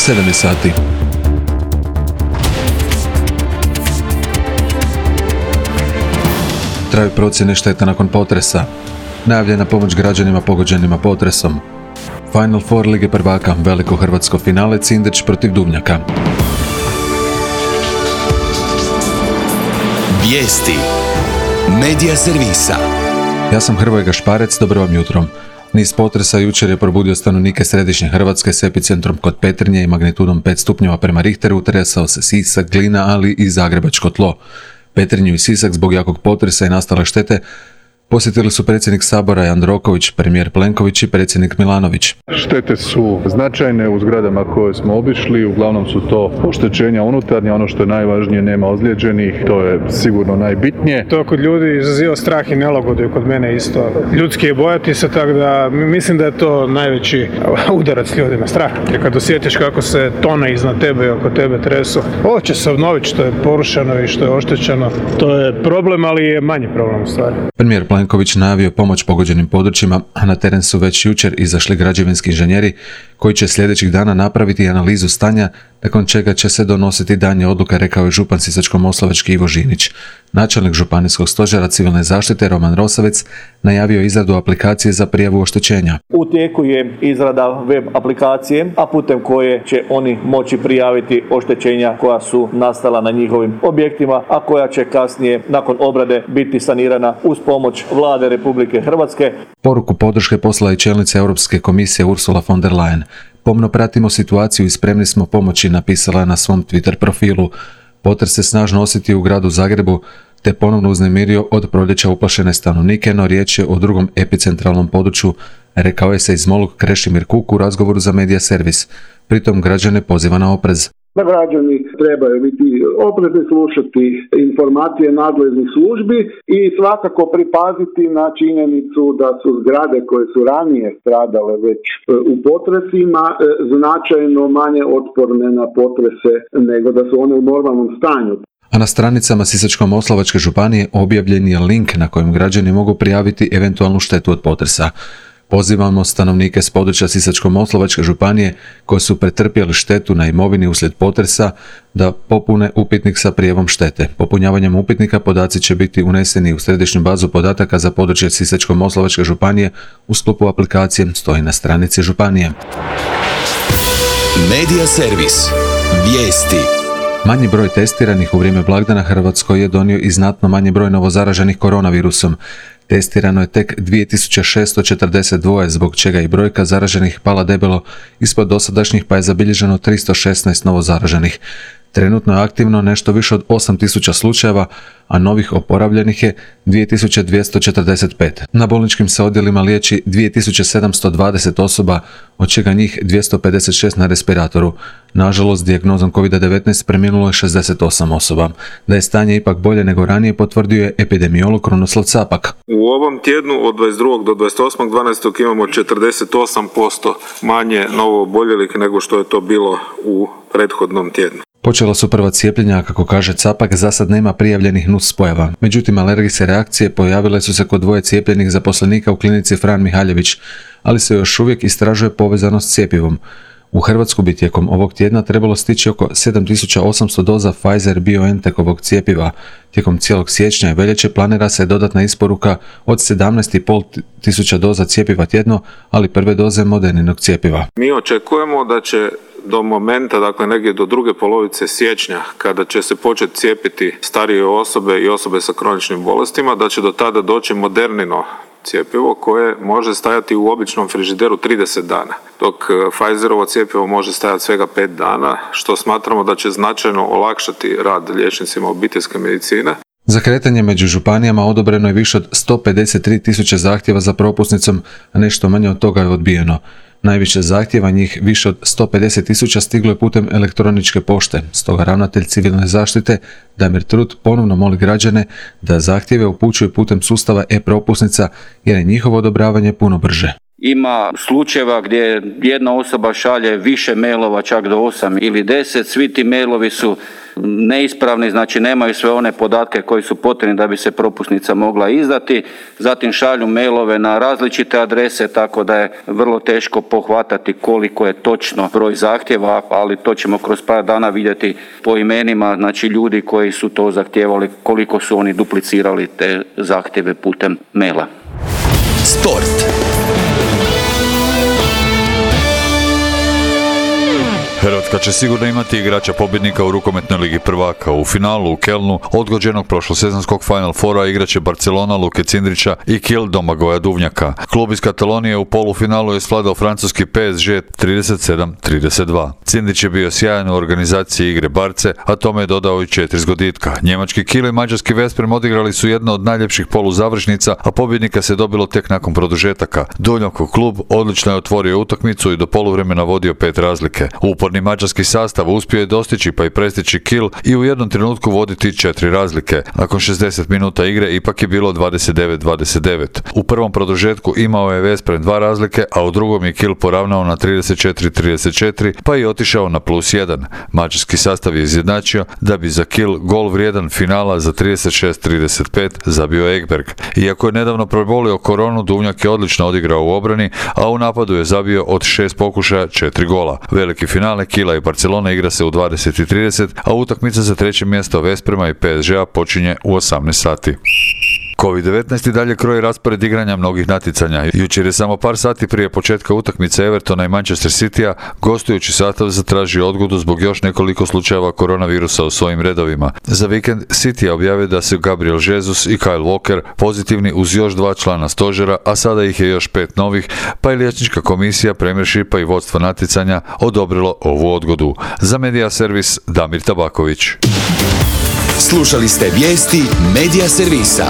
7 je sati. Traju procjene šteta nakon potresa. Najavljena pomoć građanima pogođenima potresom. Final Four Lige prvaka, veliko hrvatsko finale, Cindeć protiv Duvnjaka. Vijesti Medija servisa. Ja sam Hrvoje Gašparec, dobro vam jutro. Niz potresa jučer je probudio stanovnike središnje Hrvatske s epicentrom kod Petrinje i magnitudom 5 stupnjeva prema Richteru, tresao se Sisak, Glina, ali i zagrebačko tlo. Petrinju i Sisak zbog jakog potresa i nastale štete posjetili su predsjednik Sabora Jandroković, premijer Plenković i predsjednik Milanović. Štete su značajne u zgradama koje smo obišli, uglavnom su to oštećenja unutarnje, ono što je najvažnije, nema ozlijeđenih, to je sigurno najbitnije. To kod ljudi izaziva strah i nelagodu i kod mene isto. Ljudski je bojati se, tako da mislim da je to najveći udarac ljudima, strah. Jer kad osjetiš kako se tone iznad tebe i oko tebe tresu, ovo će se obnoviti što je porušeno i što je oštećeno. To je problem, ali je manji problem u stvari. Premijer Plenković najavio pomoć pogođenim područjima, a na teren su već jučer izašli građevinski inženjeri koji će sljedećih dana napraviti analizu stanja, nakon čega će se donositi daljnje odluke, rekao je župan Sisačko-moslavački Ivo Žinić. Načelnik županijskog stožera civilne zaštite Roman Rosavec najavio izradu aplikacije za prijavu oštećenja. U tijeku je izrada web aplikacije, a putem koje će oni moći prijaviti oštećenja koja su nastala na njihovim objektima, a koja će kasnije nakon obrade biti sanirana uz pomoć Vlade Republike Hrvatske. Poruku podrške poslala i čelnica Europske komisije Ursula von der Leyen. Pomno pratimo situaciju i spremni smo pomoći, napisala je na svom Twitter profilu. Potres se snažno osjetio u gradu Zagrebu, te ponovno uznemirio od proljeća uplašene stanovnike, no riječ je o drugom epicentralnom području, rekao je seizmolog Krešimir Kuk u razgovoru za Medija servis. Pritom građane poziva na oprez. Građani trebaju biti oprezni, slušati informacije nadležnih službi i svakako pripaziti na činjenicu da su zgrade koje su ranije stradale već u potresima značajno manje otporne na potrese nego da su one u normalnom stanju. A na stranicama Sisačko-moslavačke županije objavljen je link na kojem građani mogu prijaviti eventualnu štetu od potresa. Pozivamo stanovnike s područja Sisačko-moslavačke županije koji su pretrpjeli štetu na imovini uslijed potresa da popune upitnik sa prijavom štete. Popunjavanjem upitnika podaci će biti uneseni u središnju bazu podataka za područje Sisačko-moslavačke županije u sklopu aplikacije, stoji na stranici županije. Medija servis. Vijesti. Manji broj testiranih u vrijeme blagdana Hrvatskoj je donio i znatno manji broj novozaraženih koronavirusom. Testirano je tek 2642, zbog čega i brojka zaraženih pala debelo ispod dosadašnjih, pa je zabilježeno 316 novozaraženih. Trenutno je aktivno nešto više od 8000 slučajeva, a novih oporavljenih je 2245. Na bolničkim se odjelima liječi 2720 osoba, od čega njih 256 na respiratoru. Nažalost, dijagnozom COVID-19 preminulo je 68 osoba. Da je stanje ipak bolje nego ranije, potvrdio je epidemiolog Krunoslav Capak. U ovom tjednu od 22. do 28.12. imamo 48% manje novooboljelih nego što je to bilo u prethodnom tjednu. Počela su prva cijepljenja, a kako kaže Capak, za sad nema prijavljenih nuspojava. Međutim, alergijske reakcije pojavile su se kod dvoje cijepljenih zaposlenika u klinici Fran Mihaljević, ali se još uvijek istražuje povezanost s cjepivom. U Hrvatsku bi tijekom ovog tjedna trebalo stići oko 7800 doza Pfizer-BioNTechovog cjepiva. Tijekom cijelog siječnja i veljače planira se dodatna isporuka od 17.500 doza cjepiva tjedno, ali prve doze Moderninog cjepiva. Mi očekujemo da će do momenta, dakle negdje do druge polovice siječnja, kada će se početi cijepiti starije osobe i osobe sa kroničnim bolestima, da će do tada doći Modernino cjepivo koje može stajati u običnom frižideru 30 dana, dok Pfizerovo cjepivo može stajati svega 5 dana, što smatramo da će značajno olakšati rad liječnicima obiteljske medicine. Za kretanje među županijama odobreno je više od 153.000 zahtjeva za propusnicom, a nešto manje od toga je odbijeno. Najviše zahtjeva, njih više od 150.000, stiglo je putem elektroničke pošte. Stoga ravnatelj civilne zaštite Damir Trut ponovno moli građane da zahtjeve upućuju putem sustava e-propusnica jer je njihovo odobravanje puno brže. Ima slučajeva gdje jedna osoba šalje više mailova, čak do 8 ili 10, svi ti mailovi su neispravni, znači nemaju sve one podatke koji su potrebni da bi se propusnica mogla izdati, zatim šalju mailove na različite adrese, tako da je vrlo teško pohvatati koliko je točno broj zahtjeva, ali to ćemo kroz par dana vidjeti po imenima, znači ljudi koji su to zahtijevali, koliko su oni duplicirali te zahtjeve putem maila. Sport. Hrvatska će sigurno imati igrača pobjednika u rukometnoj ligi prvaka. U finalu u Kelnu, odgođenog prošlosezonskog Final Fora, igraće Barcelona Luke Cindrića i Kiel Domagoja Duvnjaka. Klub iz Katalonije u polufinalu je svladao francuski PSG 37-32. Cindrić je bio sjajan u organizaciji igre Barce, a tome je dodao i 4 zgoditka. Njemački Kiel i mađarski Veszprem odigrali su jedno od najljepših poluzavršnica, a pobjednika se dobilo tek nakon produžetaka. Duvnjakov klub odlično je otvorio utakmicu i do poluvremena vodio 5 razlike. Uporni mađarski sastav uspio je dostići pa i prestići Kiel i u jednom trenutku voditi 4 razlike. Nakon 60 minuta igre ipak je bilo 29-29. U prvom produžetku imao je Veszprem 2 razlike, a u drugom je Kiel poravnao na 34-34 pa je otišao na +1. Mađarski sastav je izjednačio da bi za Kiel gol vrijedan finala za 36-35 zabio Ekberg. Iako je nedavno prebolio koronu, Duvnjak je odlično odigrao u obrani, a u napadu je zabio od 6 pokušaja 4 gola. Veliki finale Kiela i Barcelona igra se u 20:30, a utakmica za 3. mjesto Veszprema i PSG-a počinje u 18 sati. COVID-19 i dalje kroji raspored igranja mnogih natjecanja. Jučer je samo par sati prije početka utakmice Evertona i Manchester Citya gostujući sastav zatražio odgodu zbog još nekoliko slučajeva koronavirusa u svojim redovima. Za vikend City je objavio da su Gabriel Jesus i Kyle Walker pozitivni uz još 2 člana stožera, a sada ih je još 5 novih, pa je liječnička komisija, Premiershipa i vodstvo natjecanja odobrilo ovu odgodu. Za Media Servis Damir Tabaković. Slušali ste vijesti Media Servisa.